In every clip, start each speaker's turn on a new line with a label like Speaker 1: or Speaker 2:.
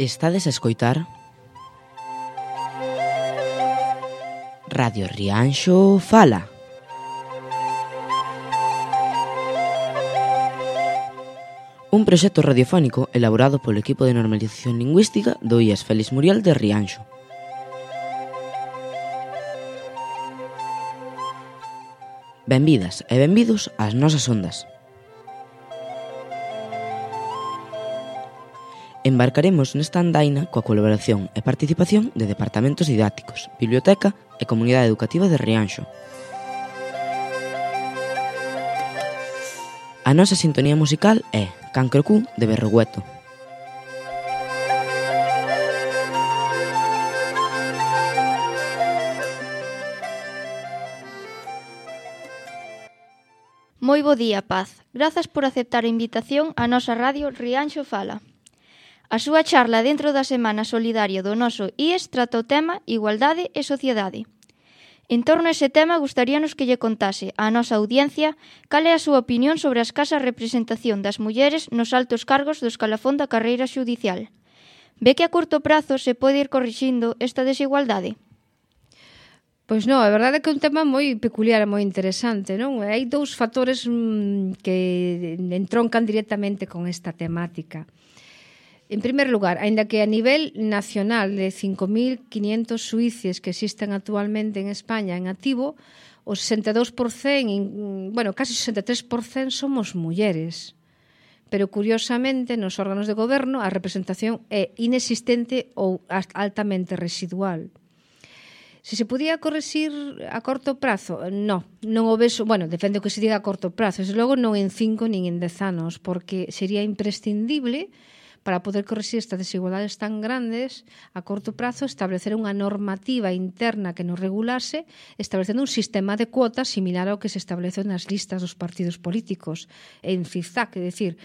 Speaker 1: Estades a escoitar Radio Rianxo Fala. Un proxecto radiofónico elaborado polo equipo de normalización lingüística do IES Félix Muriel de Rianxo. Benvidas e benvidos ás nosas ondas. Embarcaremos nesta andaina coa colaboración e participación de departamentos didácticos, biblioteca e comunidade educativa de Rianxo. A nosa sintonía musical é Cancrocú de Berrogueto.
Speaker 2: Moi bo día, Paz. Grazas por aceptar a invitación á nosa radio Rianxo Fala. A súa charla dentro da Semana Solidaria do noso IES trata o tema Igualdade e Sociedade. En torno a ese tema, gustaríanos que lle contase á nosa audiencia cal é a súa opinión sobre a escasa representación das mulleres nos altos cargos do escalafón da carreira xudicial. Ve que a curto prazo se pode ir corrixindo esta desigualdade?
Speaker 3: Pois non, a verdade é que é un tema moi peculiar e moi interesante, non? Hai dous factores que entroncan directamente con esta temática. En primer lugar, aínda que a nivel nacional de 5.500 xuíces que existen actualmente en España en activo, o 62%, casi 63% somos mulleres. Pero, curiosamente, nos órganos de goberno a representación é inexistente ou altamente residual. Se se podía correxir a corto prazo? Non o vexo, depende do que se diga a corto prazo, desde logo non en 5 nin en 10 anos, porque sería imprescindible para poder correxir estas desigualdades tan grandes a corto prazo, establecer unha normativa interna que nos regulase, establecendo un sistema de cuotas similar ao que se establece nas listas dos partidos políticos en zigzag, é dicir,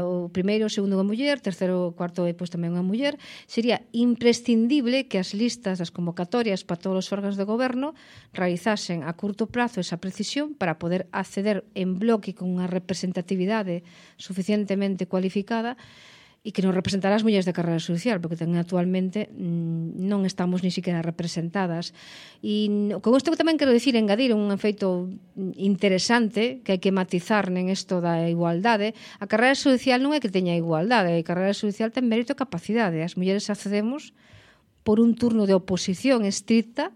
Speaker 3: o primeiro, o segundo unha muller, terceiro, cuarto e tamén unha muller. Sería imprescindible que as listas das convocatorias para todos os órganos de goberno realizasen a curto prazo esa precisión para poder acceder en bloque con unha representatividade suficientemente cualificada e que nos representará as mulleres de carreira xudicial, porque tamén actualmente non estamos ni siquiera representadas. E con isto tamén quero dicir, engadir un efeito interesante que hai que matizar en isto da igualdade. A carreira xudicial non é que teña igualdade, a carreira xudicial ten mérito e capacidade. As mulleres accedemos por un turno de oposición estricta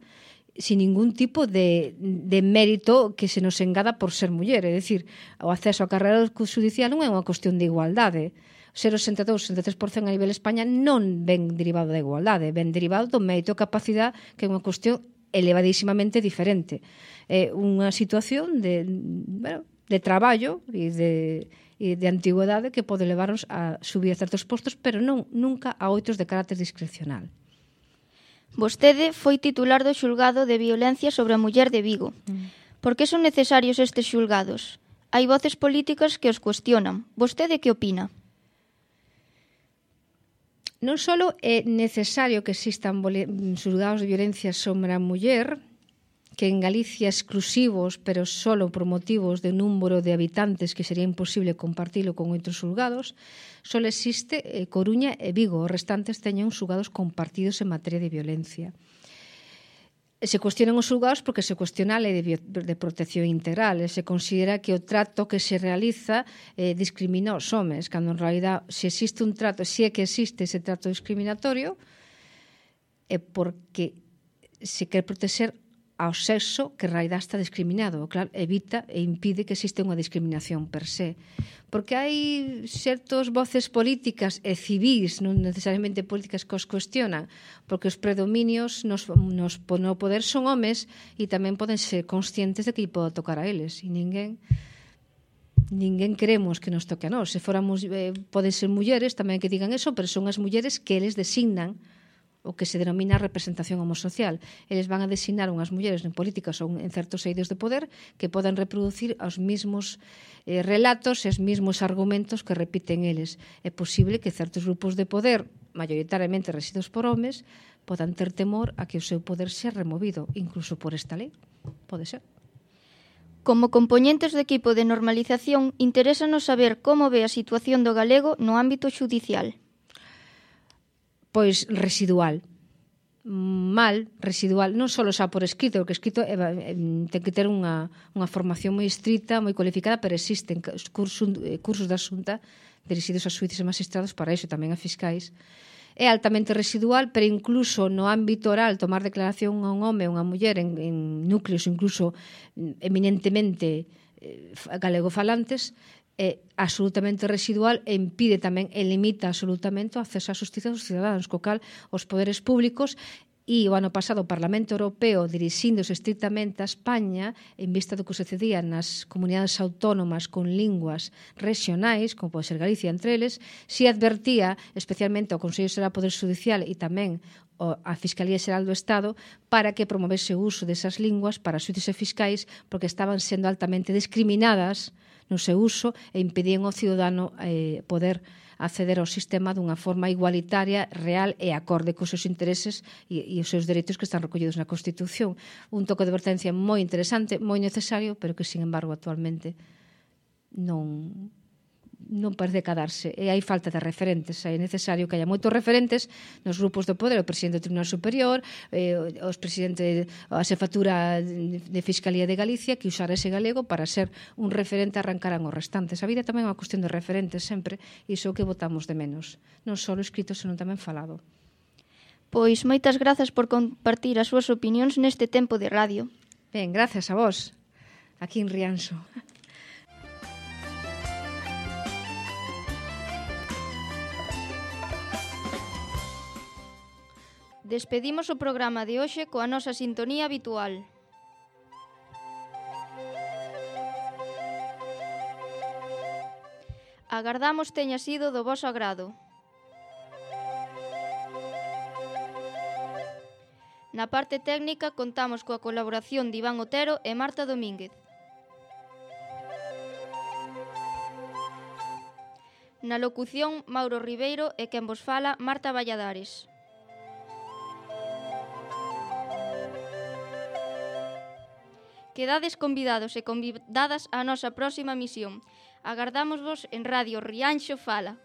Speaker 3: sin ningún tipo de mérito que se nos engada por ser muller. É dicir, o acceso á carreira xudicial non é unha cuestión de igualdade. Ser o 62-63% a nivel España non ven derivado da igualdade, ven derivado do mérito e capacidade, que é unha cuestión elevadísimamente diferente. É unha situación de traballo e de antigüedade que pode levarnos a subir a certos postos, pero nunca a outros de carácter discrecional.
Speaker 2: Vostede foi titular do xulgado de violencia sobre a muller de Vigo. Por que son necesarios estes xulgados? Hai voces políticas que os cuestionan. Vostede que opina?
Speaker 3: Non só é necesario que existan xulgados de violencia sobre a muller, que en Galicia exclusivos, pero só por motivos de número de habitantes que sería imposible compartilo con outros xulgados, só existe Coruña e Vigo, os restantes teñen xulgados compartidos en materia de violencia. Se cuestionan os xulgados porque se cuestiona a lei de protección integral e se considera que o trato que se realiza discrimina os homes, cando en realidad se existe un trato, se é que existe ese trato discriminatorio, é porque se quer proteger ao sexo que en realidad está discriminado. Claro, evita e impide que existe unha discriminación per se. Porque hai certos voces políticas e civís, non necesariamente políticas, que os cuestionan, porque os predominios no poder son homes e tamén poden ser conscientes de que lle pode tocar a eles. E ninguén queremos que nos toque a nós. Se fóramos, poden ser mulleres tamén que digan eso, pero son as mulleres que eles designan o que se denomina representación homosocial. Eles van a designar unhas mulleres en políticas ou en certos eidos de poder que poden reproducir os mesmos relatos e os mesmos argumentos que repiten eles. É posible que certos grupos de poder, maioritariamente resididos por homes, podan ter temor a que o seu poder sea removido, incluso por esta lei. Pode ser.
Speaker 2: Como compoñentes do equipo de normalización, interésanos saber como ve a situación do galego no ámbito xudicial.
Speaker 3: pois residual. Mal, residual, non só xa por escrito, porque escrito ten que ter unha formación moi estrita, moi cualificada, pero existen cursos da Xunta dirixidos a xuíces e magistrados para iso, tamén a fiscais. É altamente residual, pero incluso no ámbito oral, tomar declaración a un home ou unha muller en núcleos incluso eminentemente galegofalantes, é absolutamente residual e impide tamén e limita absolutamente o acceso á xustiza dos cidadáns, co cal os poderes públicos e o ano pasado o Parlamento Europeo dirixíndose estrictamente a España en vista do que sucedía nas comunidades autónomas con linguas regionais, como pode ser Galicia entre eles, si advertía especialmente ao Consello Xeral do Poder Judicial e tamén a Fiscalía Xeral do Estado para que promovese o uso desas linguas para xuíces e fiscais porque estaban sendo altamente discriminadas no seu uso e impedían ao cidadano poder acceder ao sistema dunha forma igualitaria, real e acorde cos seus intereses e os seus dereitos que están recollidos na Constitución. Un toque de advertencia moi interesante, moi necesario, pero que, sin embargo, actualmente non parece quedarse. E hai falta de referentes. É necesario que haya moitos referentes nos grupos do poder, o presidente do Tribunal Superior, os presidente a xefatura de Fiscalía de Galicia, que usara ese galego para ser un referente, arrancaran os restantes. A vida tamén é unha cuestión de referentes sempre, e iso que votamos de menos. Non só escrito, senón tamén falado.
Speaker 2: Pois moitas grazas por compartir as súas opinións neste tempo de radio.
Speaker 3: Ben, gracias a vos, aquí en Rianxo.
Speaker 2: Despedimos o programa de hoxe coa nosa sintonía habitual. Agardamos teña sido do voso agrado. Na parte técnica contamos coa colaboración de Iván Otero e Marta Domínguez. Na locución, Mauro Ribeiro e quen vos fala, Marta Valladares. Quedades convidados e convidadas á nosa próxima misión. Agardámosvos en Radio Rianxo Fala.